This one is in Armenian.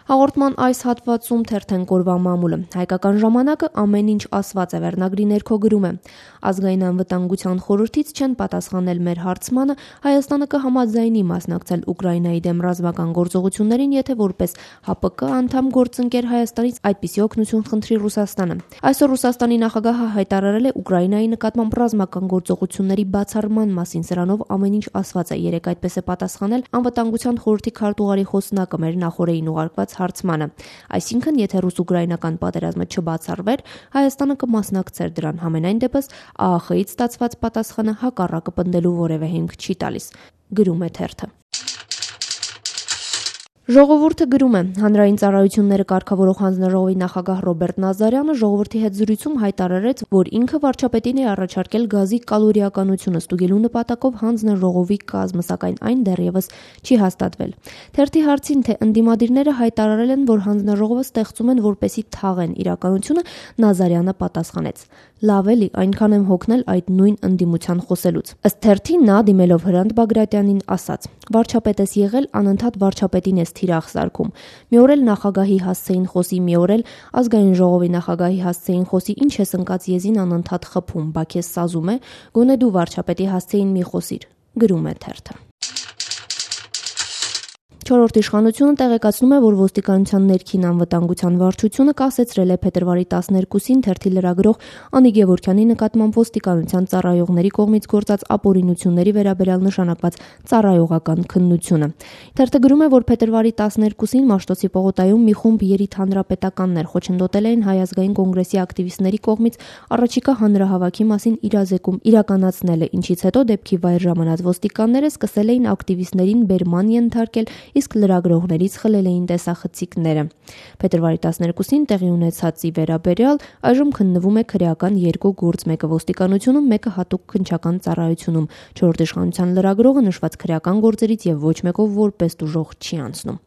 Հաղորդման այս հատվածում թերթեն կորվա մամուլը։ Հայկական ժամանակը ամեն ինչ ասված է վերնագրի ներքո գրում է. Ազգային անվտանգության խորհրդից չեն պատասխանել մեր հարցմանը, Հայաստանը կհամաձայնի մասնակցել Ուկրաինայի դեմ ռազմական գործողություններին, եթե որպես ՀԱՊԿ անդամ գործընկեր Հայաստանից այդպիսի օգնություն խնդրի Ռուսաստանը։ Այսօր Ռուսաստանի նախագահը հայտարարել է Ուկրաինայի նկատմամբ ռազմական գործողությունների բացառման մասին, սրանով ամեն ինչ ասված է, երեկ այդպես է պատասխանել անվտանգության խորհրդի քարտուղարի խոսնակը մեր նախորդին ուղարկված հարցմանը։ Այսինքն, եթե ռուս-ուկրաինական պատերազմը չբացառվեր, Հայաստանը կմասնակցեր դրան։ Համենայն դեպս ԱԱԽ-ից ստացված պատասխանը հակառակը պնդելու որևէ հիմք չի տալիս, գրում է թերթը։ Ժողովուրդը գրում է. Հանրային ծառայությունները կարգավորող հանձնաժողովի նախագահ Ռոբերտ Նազարյանը ժողովրդի հետ զրույցում հայտարարեց, որ ինքը վարչապետին է առաջարկել գազի կալորիականությունը ստուգելու նպատակով հանձնաժողովի կազմը, սակայն այն դեռևս չի հաստատվել։ Թերթի հարցին, թե ընդդիմադիրները հայտարարել են, որ հանձնաժողովը ստեղծում են որպեսի թաղեն իրականությունը, Նազարյանը պատասխանեց. Լավ էլի, այնքան եմ հոգնել այդ նույն ընդդիմության խոսելուց։ Ըստ թերթի նա դիմելով Հրանտ Բագրատյանին ասաց. Վարչապետ ես եղել, անընդհատ վարչապետին ես թիրախ սարքում։ Մի օր էլ նախագահի հասցեին խոսի, մի օր էլ ազգային ժողովի նախագահի հասցեին խոսի, ինչ ես ընկած եզին անընդհատ խփում, բա քեզ սազում է, գոնե դու վարչապետի հասցեին մի խոսիր, գրում է թերթը։ Չորրորդ իշխանությունը տեղեկացնում է, որ ոստիկանության ներքին անվտանգության վարչությունը կասեցրել է փետրվարի 12-ին թերթի լրագրող Անի Գևորգյանի նկատմամբ ոստիկանության ծառայողների կողմից գործած ապօրինությունների վերաբերյալ նշանակված ծառայողական քննությունը։ Թերթը գրում է, որ փետրվարի 12-ին Մաշտոցի պողոտայում մի խումբ երիտհանրապետականներ խոչընդոտել էին Հայ ազգային կոնգրեսի ակտիվիստների կողմից առաջիկա հանրահավաքի մասին իրազեկում իրականացնելը, ինչից հետո դեպքի վայր ժամանած ոստիկանները սկսել էին ակտիվիստներին բերման ենթարկել, իսկ լրագրողներից խլել էին տեսախցիկները։ Փետրվարի 12-ին տեղի ունեցածի վերաբերյալ այժմ քննվում է քրեական 2 գործ, մեկը ոստիկանությունում, մեկը հատուկ քննչական ծառայությունում։ Չորրորդ իշխանության լրագրողը նշված քրեական գործերից եւ ոչ մեկով որպես տուժող չի անցնում։